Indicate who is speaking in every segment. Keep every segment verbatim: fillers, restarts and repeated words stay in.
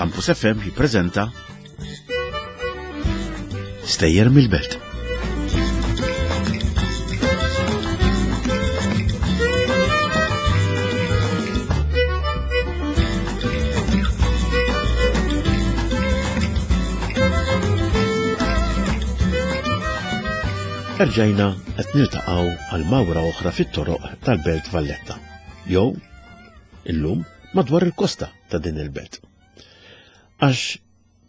Speaker 1: Campus F M jippreżenta Stejjer mill-Belt. Erġajna qed niltaqgħu għal mawra oħra fit-toroq tal-Belt Valletta, jew illum madwar il-kosta ta' din il-belt. Għax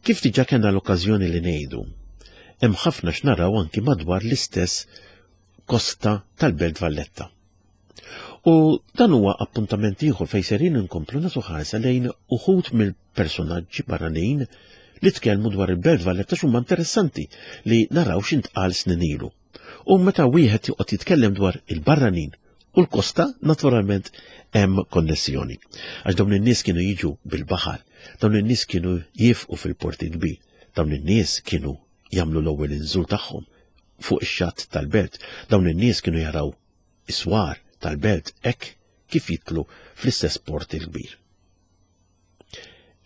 Speaker 1: kif diġà kellna l-okkażjoni li ngħidu, hemm ħafna x'naraw anki madwar l-istess kosta tal-Belt Valletta. U dan huwa appuntament ieħor fejn serin inkomplu nagħtu ħarsa lejn uħud mill-personaġġi barranin li tkellmu dwar il-Belt Valletta x'huma interessanti li naraw x'intqal snin ilu. U meta wieħed joqgħod jitkellem dwar il-barranin u l-kosta, naturalment hemm konnessjoni. Għax dawn in-nies kienu jiġu bil-baħar, dawn in-nies kienu jifqu fil-porti kbir, dawn in-nies kienu jagħmlu l-ewwel inżul tagħhom fuq ix-xatt tal-belt, dawn in-nies kienu jaraw is-swar tal-belt hekk kif jitlu fl-istess port il-kbir.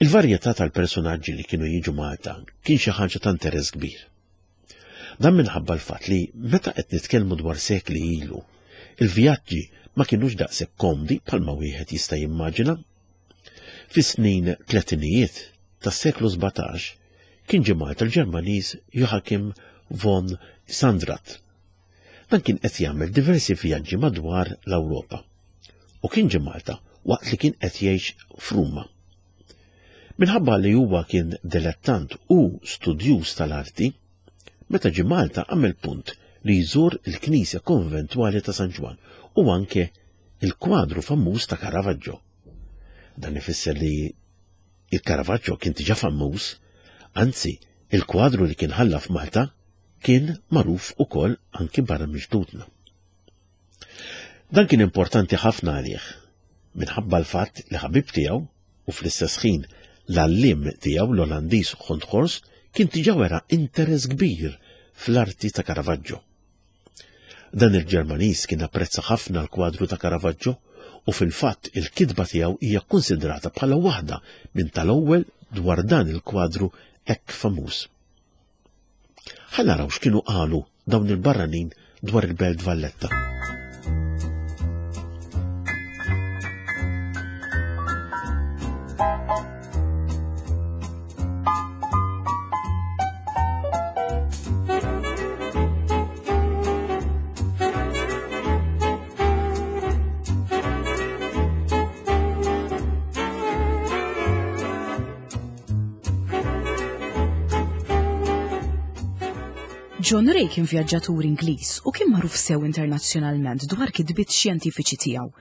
Speaker 1: Il-varjetà tal-personaġġi li kienu jiġu Malta kien xi ħaġa ta' interess kbir. Dan minħabba l-fatt li meta qed nitkellmu dwar sekli ilu, il-vjaġġi ma kienux daqshekk komdi bħalma wieħed jista' jimmaġina. Fis-snin tletinijiet tas-seklu sbatax kien ġie Malta l-Ġermaniż Joachim von Sandrart. Dan kien qed jagħmel diversi vjaġġi madwar l-Ewropa u kien ġie Malta waqt li kien qed jgħix f'Ruma. Minħabba li huwa kien dilettant u studjuż tal-arti, meta ġie Malta għamel punt li jżur il-Knisja Konventwali ta' San Ġwann u anke il-kwadru famuż ta' Caravaggio. Dan ifisser li il-Caravaggio kien diġà famuż, anzi il-kwadru li kien ħalla f'Malta kien magħruf ukoll anki barra minn ġdudna. Dan kien importanti ħafna għalih, minħabba l-fatt li ħabib tiegħu u fl-istess ħin l-għalliem tiegħu l-Olandiż Honthorst kien diġà wera interess kbir fl-arti ta' Caravaggio. Dan il-Ġermaniż kien apprezza ħafna l-kwadru ta' Caravaggio u fil-fatt il-kitba tiegħu hija kkunsidrata bħala waħda minn tal-ewwel dwar dan il-kwadru hekk famuż. Ħa naraw x'kienu qalu dawn il-barranin dwar il-Belt Valletta.
Speaker 2: John Ray kien vjaġġatur Ingliż u kien magħruf sew internazzjonalment dwar kitbiet xjentifiċi tiegħu.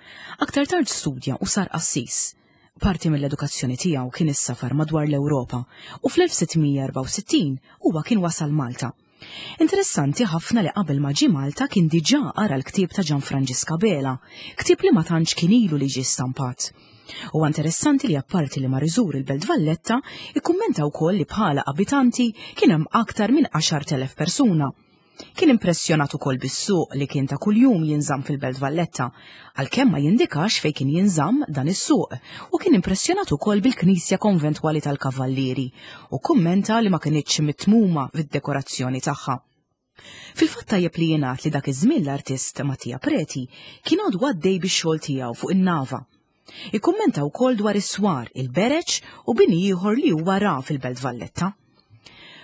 Speaker 2: Aktar tard studja u sar qassis. Parti mill-edukazzjoni tiegħu kien is-safar madwar l-Ewropa u fl-elf sitt mija erbgħa u sittin huwa kien wasal Malta. Interessanti ħafna li qabel ma ġie Malta kien diġà qara l-ktieb ta' Gianfranġisk Abela, ktieb li ma tantx kien ilu li ġie stampat. U interessanti li apparti li mar iżur il-Belt Valletta, ikkummenta wkoll li bħala abitanti kien hemm aktar minn għaxart elef persuna. Kien impressjonat ukoll bis-suq li kien ta' kuljum jinżamm fil-Belt Valletta, għalkemm ma jindikax fejn kien jinżamm dan is-suq, u kien impressjonat ukoll bil-Knisja Konventwali tal-Kavallieri u kummenta li ma kinitx mitmuma fid-dekorazzjoni tagħha. Fil-fatt tajjeb li jingħad li dak iż-żmien l-artist Mattia Preti kien għadu għaddej bix-xogħol tiegħu fuq in-nava. Ikkummenta wkoll dwar is-swar, il-bereġ u bini ieħor li huwa ra fil-Belt Valletta.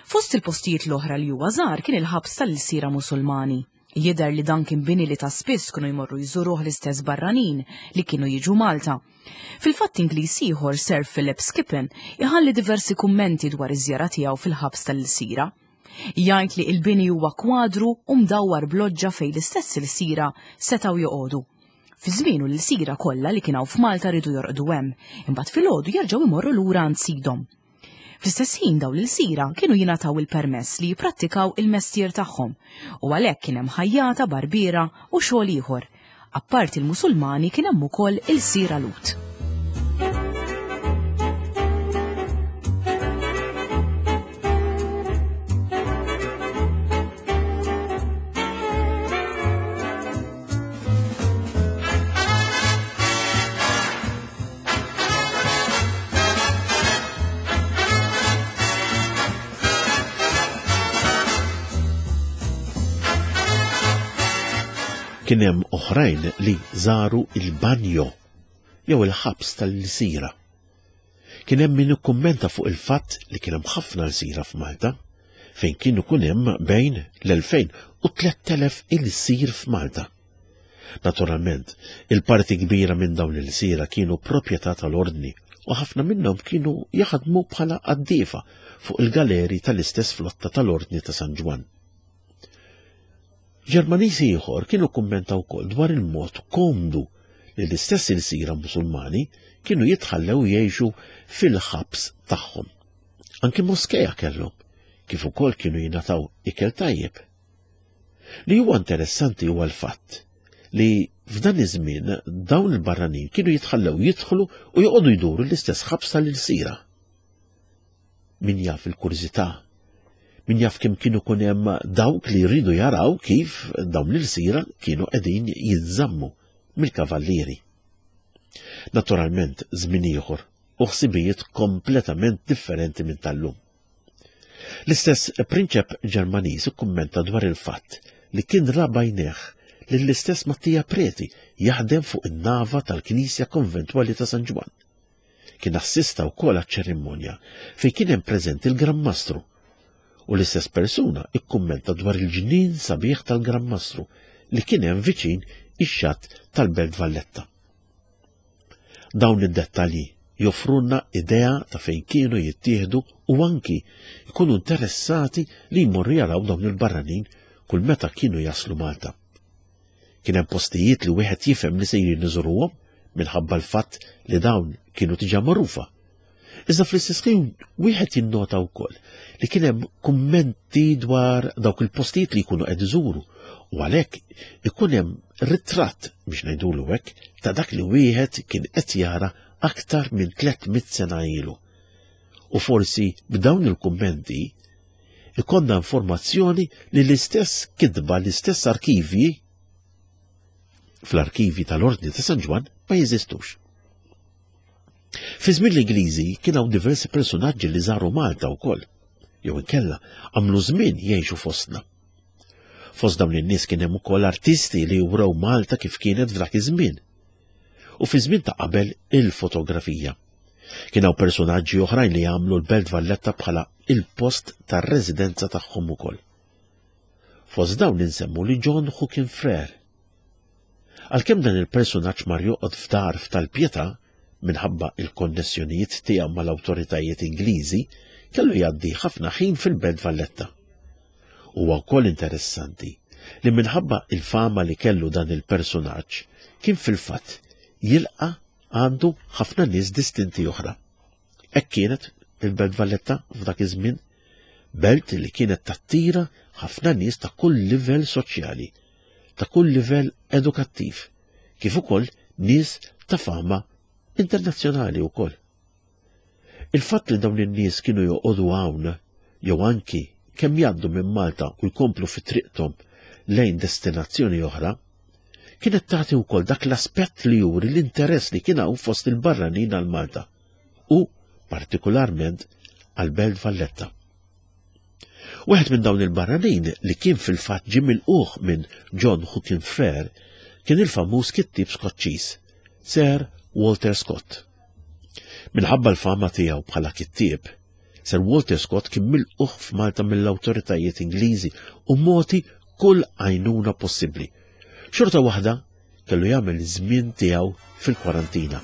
Speaker 2: Fost il-postijiet l-oħra li huwa żar kien il-ħabs tal-ilsira Musulmani. Jidher li dan kien bini li ta' spiss kienu jmorru jżuruh l-istess barranin li kienu jiġu Malta. Fil-fatt Ingliż ieħor Sir Philip Skippon iħalli diversi kummenti dwar iż-żjara tiegħu fil-ħabs tal-ilsira. Jgħid li il-bini huwa kwadru u mdawwar b'loġġa fejn l-istess ilsira setgħu joqogħdu. Fi żmienu l-ilsira kollha li kien hawn f'Malta rridu jorqdu hemm, imbagħad filgħodu jerġgħu jmorru lura għand sidhom. Fl-istess ħin dawn l-ilsira kienu jingħataw il-permess li jipprattikaw il-mestier tagħhom u għalhekk kien hemm ħajjata, barbiera u xogħol ieħor. Apparti l-Musulmani kien hemm ukoll ilsira Lhud.
Speaker 1: Kien hemm oħrajn li żaru il-banjo jew il-ħabs tal-lsira. Kien hemm min ikkummenta fuq il-fatt li kien hemm ħafna lsira f'Malta, fejn kien ikun hemm bejn l-elfejn u tlett elef ilsir f'Malta. Naturalment, il-parti kbira minn dawn l-ilsira kienu proprjetà tal-ordni u ħafna minnhom kienu jaħdmu bħala qaddiefa fuq il-galeri tal-istess flotta tal-Ordni ta' San Ġwann. Ġermaniż ieħor kienu kummenta wkoll dwar il-mod komdu li l-istess ilsira Musulmani kienu jitħallew jgħixu fil-ħabs tagħhom. Anki moskeja kellhom, kif ukoll kienu jingħataw ikel tajjeb. Li huwa interessanti huwa l-fatt li f'dan iż-żmien dawn il-barranin kienu jitħallew jidħlu u joqogħdu jduru l-istess ħabs tal-ilsira. Min jaf il-kurżità, min jaf kemm kienu kun hemm dawk li jridu jaraw kif dawn l-ilsira kienu qegħdin jinżammu mill-kavallieri. Naturalment żmien ieħor u ħsibijiet kompletament differenti minn tal-lum. L-istess prinċep Ġermaniż ikkummenta dwar il-fatt li kien ra b'għajnejh lill-istess Mattia Preti jaħdem fuq in-nava tal-Knisja Konventwali ta' San Ġwann. Kien assista wkoll għaċ-ċerimonja fejn kien hemm preżenti l-Gran Mastru. U l-istess persuna ikkummenta dwar il-ġnien sabiħ tal-Gran Mastru li kien hemm viċin ix-xatt tal-Belt Valletta. Dawn id-dettalji joffrunna idea ta' fejn kienu jittieħdu u anki jkunu interessati li jmorru jaraw dawn il-barranin kull meta kienu jaslu Malta. Kien hemm postijiet li wieħed jifhem li sejrin iżuruhom minħabba l-fatt li dawn kienu diġà magħrufa. Iżda fl-istess ħin wieħed jinnota wkoll li kien hemm kummenti dwar dawk il-postijiet li jkunu qed iżuru u għalhekk ikun hemm ritratt biex ngħidulu hekk ta' dak li wieħed kien qed jara aktar minn tliet mitt sena ilu. U forsi b'dawn il-kummenti ikonna informazzjoni li l-istess kitba, l-istess arkivji fl-arkivi tal-Ordni ta' San Ġwann ma jeżistux. Fi żmien l-Ingliżi kien hawn diversi personaġġi li żaru Malta wkoll, jew inkella għamlu żmien jgħixu fostna. Fost dawn in-nies kien hemm ukoll artisti li wrew Malta kif kienet f'dak iż-żmien. U fi żmien ta' qabel il-fotografija. Kien hawn personaġġi oħrajn li għamlu l-Belt Valletta bħala il-post tar-residenza tagħhom ukoll. Fost dawn insemmu li John Hookin Frere. Għalkemm dan il-personaġġ mar joqgħod f'dar f'tal-Pietà minħabba il-konnessjonijiet tiegħu mal-awtoritajiet Ingliżi, kellu jgħaddi ħafna ħin fil-Belt Valletta. Huwa wkoll interessanti li minħabba il-fama li kellu dan il-personaġġ kien fil-fatt jilqa' għandu ħafna nies distinti oħra. Hekk kienet il-Belt Valletta f'dak iż-żmien, belt li kienet tattira ħafna nies ta' kull livell soċjali, ta' kull livell edukattiv, kif ukoll nies ta' fama internazzjonali wkoll. Il-fatt li dawn in-nies kienu joqogħdu hawn jew anki kemm jgħaddu minn Malta u jkomplu fi triqthom lejn destinazzjoni oħra, kienet tagħti wkoll dak l-aspett li juri l-interess li kien hawn fost il-barranin għal Malta u partikolarment għal Belt Valletta. Wieħed minn dawn il-barranin li kien fil-fatt ġie milquh minn John Hookin Frere kien il-famuż kittieb Skoċċiż, Sir Walter Scott. Minħabba l-fama tiegħu bħala kittieb, Sir Walter Scott kien milquh f'Malta mill-awtoritajiet Ingliżi u mogħti kull għajnuna possibbli. Xorta waħda kellu jagħmel żmien tiegħu fil-kwarantina.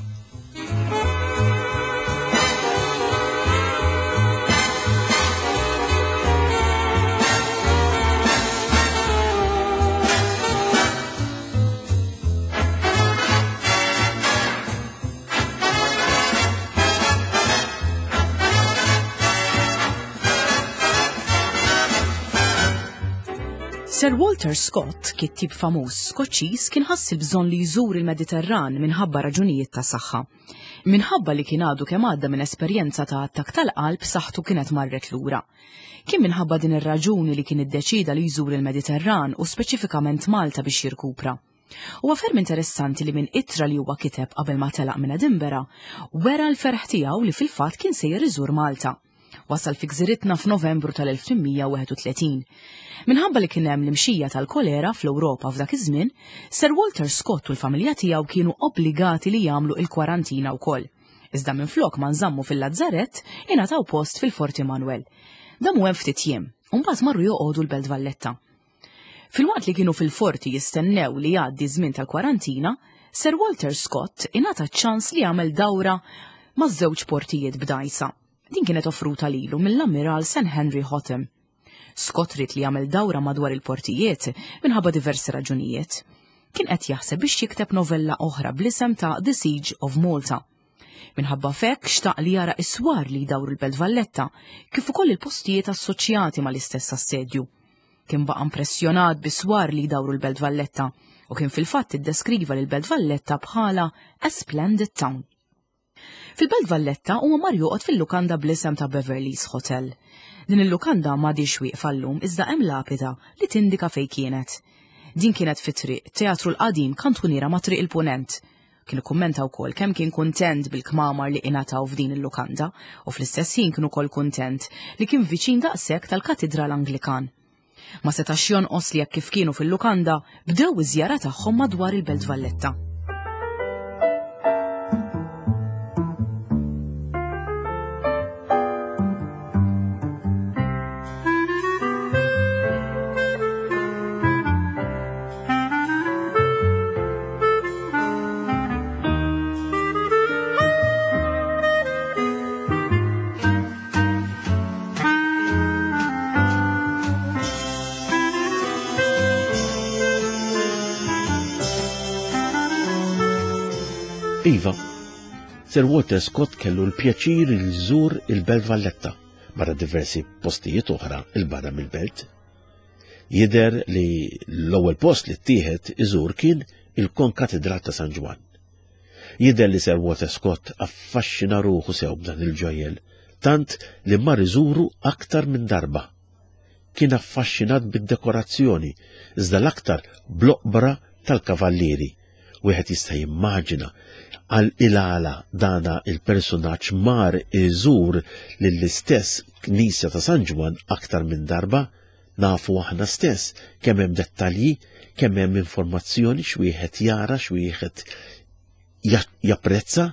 Speaker 2: Sir Walter Scott, kittieb famuż Skoċċiż, kien ħass il-bżonn li jżur il-Mediterran minħabba raġunijiet ta' saħħa. Minħabba li kien għadu kemm għadda minn esperjenza ta' attakk tal-qalb, saħħtu kienet marret lura. Kien minħabba din ir-raġuni li kien iddeċida li jżur il-Mediterran u speċifikament Malta biex jirkupra. Huwa ferm interessanti li minn ittra li huwa kiteb qabel ma telaq minn Edinburgh, wera l-ferħ tiegħu li fil-fatt kien sejjer iżur Malta. Wasal fi gżiritna f'Novembru tal-elf tmien mija u wieħed u tletin. Minħabba li kien hemm l-imxija tal-kolera fl-Ewropa f'dak iż-żmien, Sir Walter Scott u l-familja tiegħu kienu obbligati li jagħmlu il-kwarantina wkoll. Iżda minflok ma nżammu fil-Lazzarett, ingħataw post fil-Forti Manuel. Damu hemm ftit jiem, u mbagħad marru joqogħdu l-Belt Valletta. Filwaqt li kienu fil-forti jistennew li jgħaddi żmien tal-kwarantina, Sir Walter Scott ingħata ċ-ċans li jagħmel dawra maż-żewġ portijiet b'dajsa. Din kienet offruta lilu mill-Ammiral Saint Henry Hotham. Scott ried li jagħmel dawra madwar il-portijiet minħabba diversi raġunijiet. Kien qed jaħseb biex jikteb novella oħra bl-isem ta' The Siege of Malta. Minħabba fekk xtaq li jara is-swar li jdawru l-Belt Valletta, kif ukoll il-postijiet assoċjati mal-istess assedju. Kien baqa' impressjonat bis-swar li jdawru l-Belt Valletta u kien fil-fatt iddeskriva lil Belt Valletta bħala a splendid town. Fil-Belt Valletta huwa mar joqgħod fil-lukanda bl-isem ta' Beverly's Hotel. Din il-lukanda m'għadix wieqfa llum iżda hemm lapida li tindika fejn kienet. Din kienet fi triq Teatru l-Qadim kantuniera ma' Triq il-Punent. Kien ikkummenta wkoll kemm kien kuntent bil-kmamar li ingħataw f'din il-lukanda u fl-istess ħin kien ukoll kuntent li kien viċin daqshekk tal-Katidral Anglikan. Ma setax jonqos li jekk kif kienu fil-lukanda bdew iż-żjara tagħhom madwar il-Belt Valletta.
Speaker 1: Iva, Sir Walter Scott kellu l-pjaċir li jżur il-Belt Valletta barra diversi postijiet oħra il-barra mill-belt. Jidher li l-ewwel post li ttieħed iżur kien il-Konkatedral ta' San Ġwann. Jidher li Sir Walter Scott affaxxina ruħu sew b'dan il-ġojjel, tant li mar iżuru aktar minn darba. Kien affaxxinat bid-dekorazzjoni, iżda l-aktar bl-oqbra tal-kavallieri. Wieħed jista' jimmaġina għal il-għala dana il-personaġġ mar iżur lill-istess Knisja ta' San Ġwann aktar minn darba. Nafu aħna stess kemm hemm dettalji, kemm hemm informazzjoni x'wieħed jara, x'wieħed ja-, japprezza.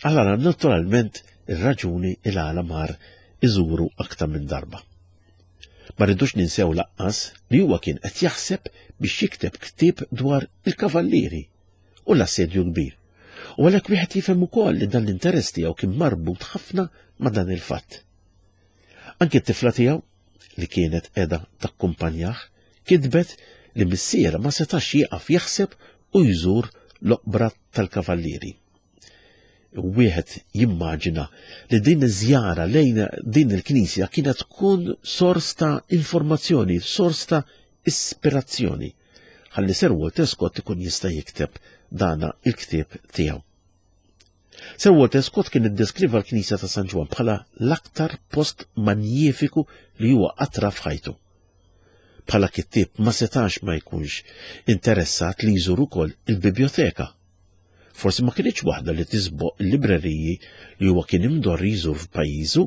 Speaker 1: Allora naturalment ir-raġuni il-għala mar iżuru aktar minn darba. Ma rridux ninsew laqqas li huwa kien qed jaħseb biex jikteb ktieb dwar il-kavallieri u l-assedju kbir. U għalhekk wieħed jifhem ukoll li dan l-interess tiegħu kien marbut ħafna ma' dan il-fatt. Anki t-tifla tiegħu, li kienet qiegħda takkumpanjah, kitbet li missiera ma setax jieqaf jaħseb u jżur l-oqbra tal-kavallieri. Wieħed jimmaġina li din iż-żjara lejn din il-knisja kienet tkun sors ta' informazzjoni, sors ta' ispirazzjoni, ħalli Sir Walter Scott ikun jista' jikteb dana il-ktieb tiegħu. Sir Walter Scott kien iddeskriva l-Knisja ta' San Ġwann bħala l-aktar post manjifiku li huwa qatt ra f'ħajtu. Bħala kittieb ma setax ma jkunx interessat li jżur ukoll il-biblioteka. Forsi ma kienx waħda li tisboq il-libreriji li huwa kien imdorri jżur f'pajjiżu,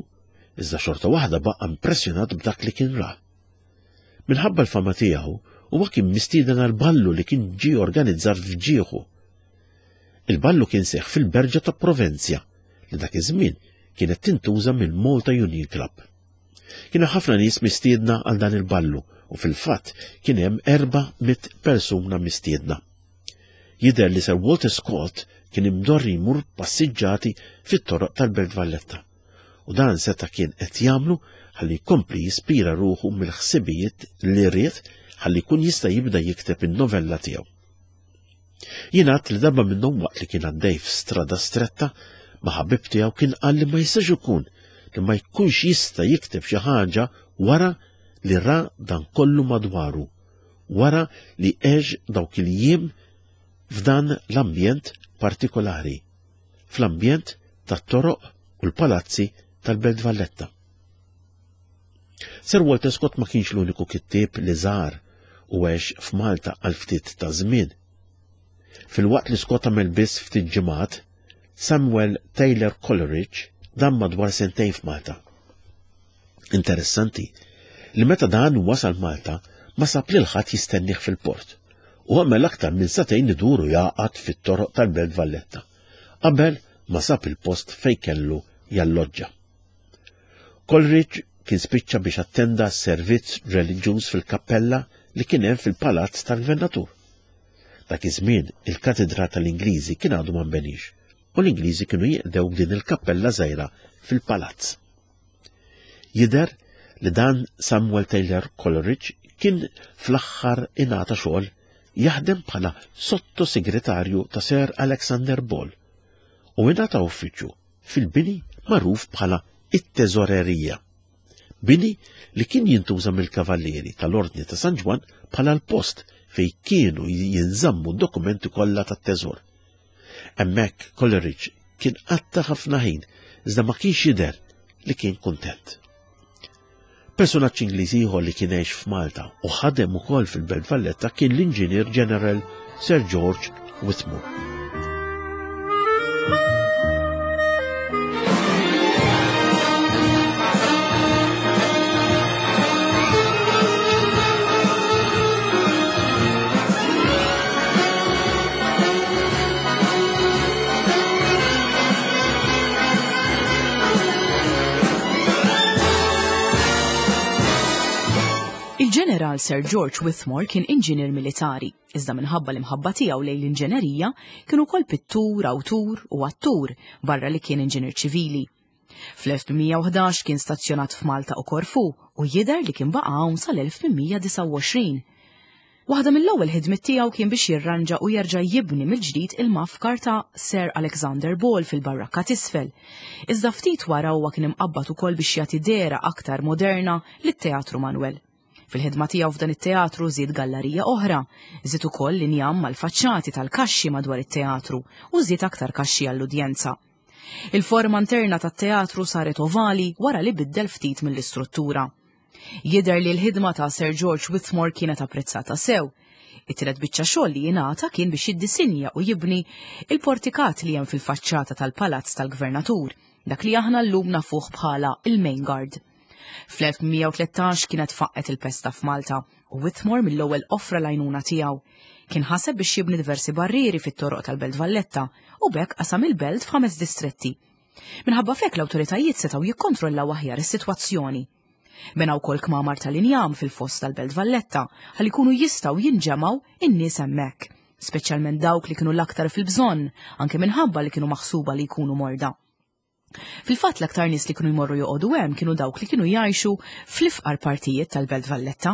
Speaker 1: iżda xorta waħda baqa' impressjonat b'dak li kien ra. Minħabba l-fama tiegħu, huwa kien mistieden għal ballu li kien ġie organizzat f'ġieħu. Il-ballu kien seħħ fil-Berġa ta' Provenzja, li dak iż-żmien kienet tintuża mill-Malta Union Club. Kienu ħafna nies mistiedna għal dan il-ballu u fil-fatt kien hemm erba' mitt persuna mistiedna. Jidher li Sir Walter Scott kien imdorri jmur passiġġati fit-toroq tal-Belt Valletta. U dan seta' kien qed jagħmlu ħalli jkompli jispira ruħu mill-ħsibijiet li ried ħalli jkun jista' jibda jikteb in-novella tiegħu. Jingħad li darba minnhom waqt li kien għaddej f'strada stretta ma' ħabib tiegħu kien qal li ma jistax ikun li ma jkunx jista' jikteb xi ħaġa wara li ra dan kollu madwaru, wara li għex dawk il-jiem f'dan l-ambjent partikolari, fl-ambjent tat-toroq u l-palazzi tal-Belt Valletta. Sir Walter Scott ma kienx l-uniku kittieb li żar u għex f'Malta għal ftit ta' żmien. Filwaqt li Scott għamel biss ftit ġimgħat, Samuel Taylor Coleridge dam madwar sentejn f'Malta. Interessanti li meta dan wasal Malta ma sab lil ħadd jistennih fil-port u għamel aktar minn sagħtejn iduru jaqgħad fit-toroq tal-Belt Valletta qabel ma sab il-post fejn kellu jalloġġa. Coleridge kien spiċċa biex attenda servizz reliġjuż fil-kappella li kien hemm fil-palazz tal-Gvernatur. Dak iż-żmien il-katedra tal-Ingliżi kien għadu ma nbenix u l-Ingliżi kienu jiqdew din il-kappella żgħira fil-palazz. Jidher li dan Samuel Taylor Coleridge kien fl-aħħar ingħata xogħol jaħdem bħala sottosegretarju ta' Sir Alexander Ball u ingħata uffiċċju fil-bini magħruf bħala it-teżorerija. Bini li kien jintuża mill-kavallieri tal-Ordni ta' San Ġwann bħala l-post fej kienu jinżammu d-dokumenti kollha tat-teżor. Hemmhekk Coleridge kien qatta ħafna ħin iżda ma kienx jidher li kien kuntent. Personaġġ Ingliż ieħor li kien għex f'Malta u ħadem ukoll fil-Belt Valletta kien l-Inġinier General Sir George Whitmore.
Speaker 2: Il-ġeneral Sir George Whitmore kien inġinier militari, iżda minħabba l-imħabba tiegħu lejn l-inġenerija kien ukoll pittur, awtur u attur barra li kien inġinier ċivili. Fl-elf tmien mija u ħdax kien stazzjonat f'Malta u Korfu u jidher li kien baqa' hawn sal-elf tmien mija disgħa u għoxrin. Waħda mill-ewwel ħidmiet tiegħu kien biex jirranġa u jerġa' jibni mill-ġdid il-mafkar ta' Sir Alexander Ball fil-barrakka t'isfel. Iżda ftit wara huwa kien imqabbad ukoll biex jagħti dehra aktar moderna lit-Teatru Manuel. Fil-ħidma tiegħu f'dan it-teatru żied gallerija oħra, żied ukoll injam mal-faċċati tal-kaxxi madwar it-teatru u żied aktar kaxxi għall-udjenza. Il-forma interna tat-teatru saret ovali wara li biddel ftit mill-istruttura. Jidher li l-ħidma ta' Sir George Whitmore kienet apprezzata sew. It-tielet biċċa xogħol li jingħata kien biex jiddisinja u jibni il-portikat li hemm fil-faċċata tal-Palazz tal-Gvernatur, dak li aħna llum nafuh bħala il-Main Guard. Fl-elf mija u tlettax kienet faqqet il-pesta f'Malta u Whitmore mill-ewwel offra l-għajnuna tiegħu. Kien ħaseb biex jibni diversi barrieri fit-toroq tal-Belt Valletta u b'hekk qasam il-belt f'ħames distretti. Minħabba f'hekk l-awtoritajiet setgħu jikkontrollaw aħjar is-sitwazzjoni. Bena wkoll kmamar tal-injam fil-fost tal-Belt Valletta ħalli jkunu jistgħu jinġemgħu in-nies hemmhekk, speċjalment dawk li kienu l-aktar fil-bżonn, anke minħabba li kienu maħsuba li jkunu morda. Fil-fatt l-aktar nies li kienu jmorru joqogħdu hemm kienu dawk li kienu jgħixu fl-ifqar partijiet tal-Belt Valletta.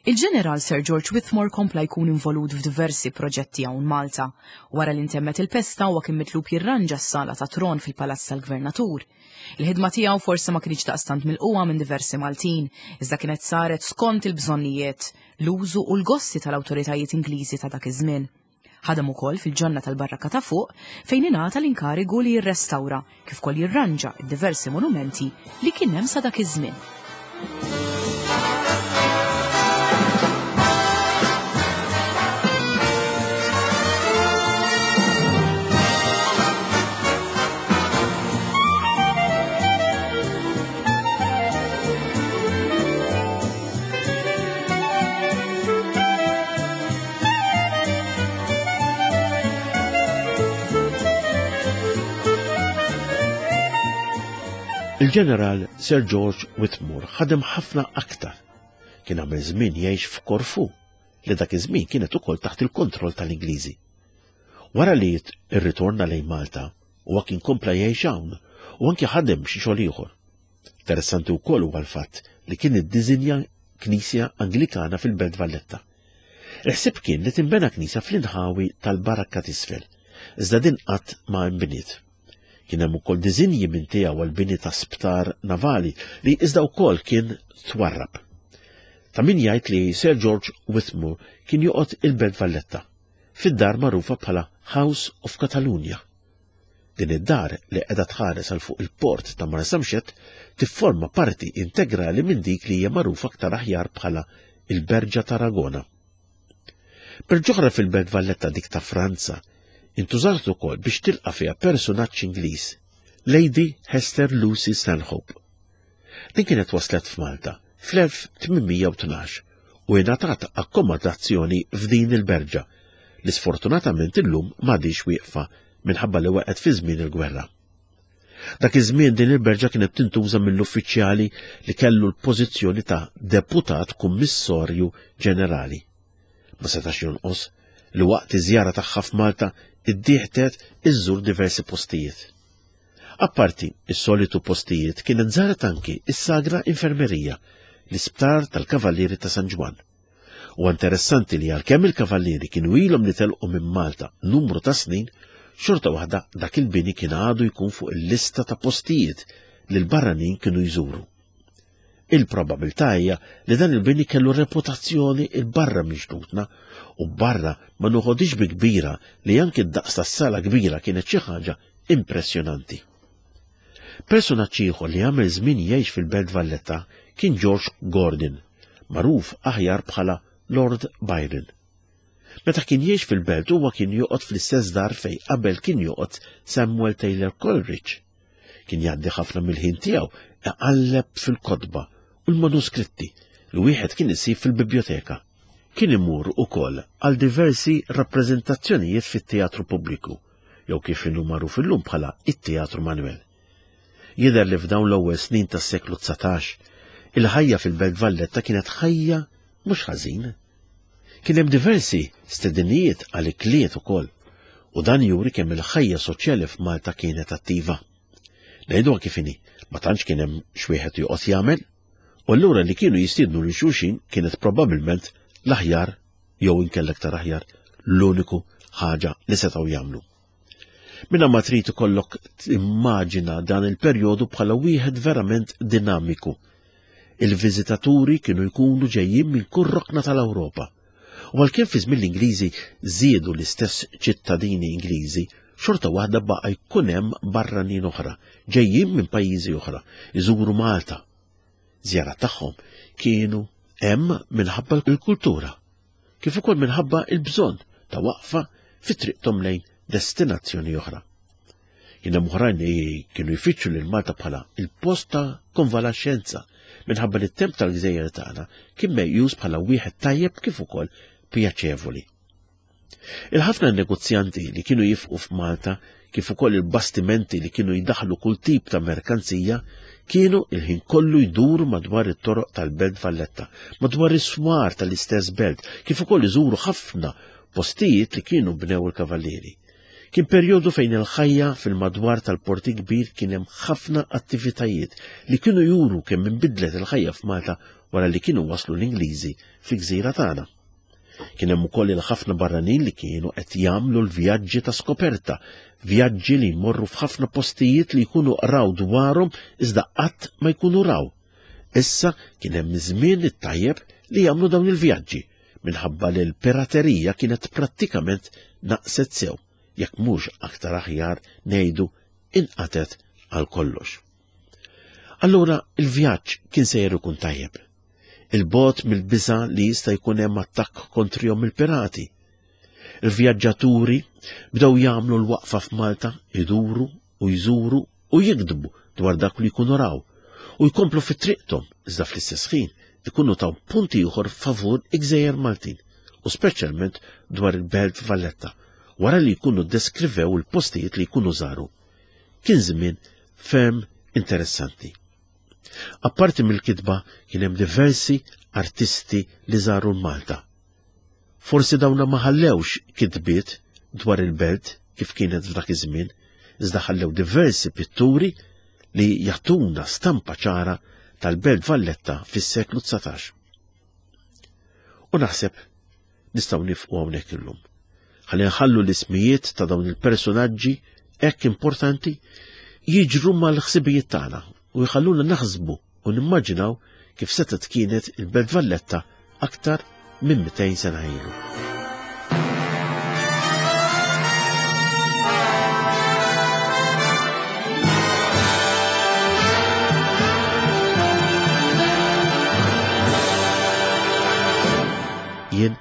Speaker 2: Il-ġeneral Sir George Whitmore kompla jkun involut f'diversi proġetti hawn Malta. Wara li ntemmet il-pesta huwa kien mitlub jirranġa s-sala ta' tron fil-Palazz tal-Gvernatur. Il-ħidma tiegħu forsi ma kienx daqstant milquha minn diversi Maltin, iżda kienet saret skont il-bżonnijiet, l-użu u l-gosti tal-awtoritajiet Ingliżi ta' dak iż-żmien. Ħadem ukoll fil-ġonna tal-barrakka ta' fuq fejn ingħata l-inkarigu li jirrestawra kif ukoll jirranġa d-diversi monumenti li kien hemm sa dak iż-żmien.
Speaker 1: Il-ġeneral Sir George Whitmore ħadem ħafna aktar. Kien għamel żmien jgħix f'Korfu, li dak iż-żmien kienet ukoll taħt il-kontroll tal-Ingliżi. Wara li irritorna lejn Malta, huwa kien kompla jgħix hawn u anki ħadem xi xogħol ieħor. Interessanti wkoll huwa l-fatt li kien iddiżinja knisja Anglikana fil-Belt Valletta. Il-ħsieb kien li tinbena knisja fl-inħawi tal-Barakka t'isfel, iżda din qatt ma nbniet. Kien hemm ukoll diżinji minn tiegħu għall-bini ta' sptar navali li iżda wkoll kien twarrab. Ta' min jgħid li Sir George Whitmore kien joqgħod il-Belt Valletta, fid-dar magħrufa bħala House of Catalonia. Din id-dar li qiegħda tħares għal fuq il-port ta' Marsamxett tifforma parti integrali minn dik li hija magħrufa aktar aħjar bħala il-Berġa t'Aragona. Berġa oħra fil-Belt Valletta dik ta' Franza intużat ukoll biex tilqa' fiha personaġġ Ingliż, Lady Hester Lucy Stanhope. Din kienet waslet f'Malta fl-elf tmien mija u tnax u ingħatat akkomodazzjoni f'din il-berġa li sfortunatament illum m'għadix wieqfa minħabba li waqgħet fi żmien il-gwerra. Dak iż-żmien din il-berġa kienet tintuża mill-uffiċjali li kellu l-pożizzjoni ta' deputat kummissarju ġenerali. Ma setax jonqos li waqt iż-żjara tagħha f'Malta iddieħtet iżżur diversi postijiet. Apparti is-solitu postijiet kienet żaret anki is-Sagra Infermerija, l-isptar tal-Kavallieri ta' San Ġwann. U interessanti li għalkemm il-Kavallieri kienu ilhom li telqu minn Malta numru ta' snin, xorta waħda dak il-bini kien għadu jkun fuq il-lista ta' postijiet li l-barranin kienu jżuru. Il-probabilità hija li dan il-bini kellu reputazzjoni il-barra minn xtutna u barra ma nuħodix bi kbira li anki d-daqs tas-sala kbira kienet xi ħaġa impressjonanti. Personaġġ ieħor li għamel żmien jgħix fil-Belt Valletta kien George Gordon, magħruf aħjar bħala Lord Byron. Meta kien jgħix fil-belt huwa kien joqgħod fl-istess dar fej qabel kien joqgħod Samuel Taylor Coleridge. Kien jgħaddi ħafna mill-ħin tiegħu iqalleb fil-kotba u l-manuskritti li wieħed kien isib fil-biblioteka. Kien imur ukoll għal diversi rappreżentazzjonijiet fit-teatru pubbliku, jew kif inhu magħruf illum bħala it-Teatru Manuel. Jidher li f'dawn l-ewwel snin tas-seklu dsatax, il-ħajja fil-Belt Valletta kienet ħajja mhux ħażin. Kien hemm diversi stedinijiet għal ikliet ukoll, u dan juri kemm il-ħajja soċjali f'Malta kienet attiva. Ngħiduha kif inhi, ma tantx kien hemm x'wieħed joqgħod jagħmel, u allura li kienu jistiednu lil xulxin kienet probabbilment l-aħjar jew inkella aktar aħjar l-uniku ħaġa li setgħu jagħmlu. Minna ma trid ikollok timmaġina dan il-perjodu bħala wieħed verament dinamiku. Il-viżitaturi kienu jkunu ġejjin minn kull rokna tal-Ewropa. U għalkemm fi żmien l-Ingliżi żiedu l-istess ċittadini Ingliżi, xorta waħda baqa' jkun hemm barranin oħra, ġejjin minn pajjiżi oħra, iżuru Malta. Żjara tagħhom kienu hemm minħabba l-kultura, kif ukoll minħabba l-bżonn ta' waqfa fi triqthom lejn destinazzjoni oħra. Kien hemm oħrajn li kienu jfittxu lil Malta bħala il-post ta' konvalescenza minħabba li t-temp tal-gżejjer tagħna kien meqjus bħala wieħed tajjeb kif ukoll pjaċevoli. Il-ħafna negozjanti li kienu jifqu f'Malta kif ukoll il-bastimenti li kienu jdaħlu kull tip ta' merkanzija kienu il-ħin kollu jduru madwar it-toroq tal-Belt Valletta, madwar is-swar tal-istess belt, kif ukoll iżuru ħafna postijiet li kienu bnew il-kavallieri. Kien perjodu fejn il-ħajja fil-madwar tal-Porti Kbir kien hemm ħafna attivitajiet li kienu juru kemm inbidlet il-ħajja f'Malta wara li kienu waslu l-Ingliżi fil-gżira tagħna. Kien hemm ukoll il-ħafna barranin li kienu qed jagħmlu l-vjaġġi ta' skoperta, vjaġġi li jmorru f'ħafna postijiet li jkunu qraw dwarhom iżda qatt ma jkunu raw. Issa kien hemm żmien it-tajjeb li jagħmlu dawn il-vjaġġi minħabba li l-piraterija kienet prattikament naqset sew, jekk mhux aktar aħjar ngħidu inqatet għal kollox. Allura il-vjaġġ kien sejjer ikun tajjeb. Il-bot mill-biża' li jista' jkun hemm attakk kontrihom il-pirati. Il-vjaġġaturi bdew jagħmlu l-waqfa f'Malta, iduru u jżuru u jikdbu dwar dak li jkunu raw u jkomplu fi triqthom, iżda fl-istess ħin ikunu taw punti ieħor favur il-gżejjer Maltin u speċjalment dwar il-Belt Valletta, wara li jkunu deskrivew il-postijiet li jkunu żaru. Kien żmien ferm interessanti. Apparti mill-kitba kien hemm diversi artisti li żaru Malta. Forsi dawna ma ħallewx kitbiet dwar il-belt kif kienet f'dak iż-żmien, iżda ħallew diversi pitturi li jagħtuna stampa ċara tal-Belt Valletta fis-seklu dsatax. U naħseb nistgħu nifqu hawnhekk illum. Ħalli nħallu l-ismijiet ta' dawn il-personaġġi hekk importanti jiġru mal-ħsibijiet tagħna u jħalluna naħsbu u nimmaġinaw kif setgħet kienet il-Belt Valletta aktar minn mitejn sena ilu. Jien,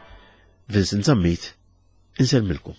Speaker 1: Vincent Zammit, insellmilkom.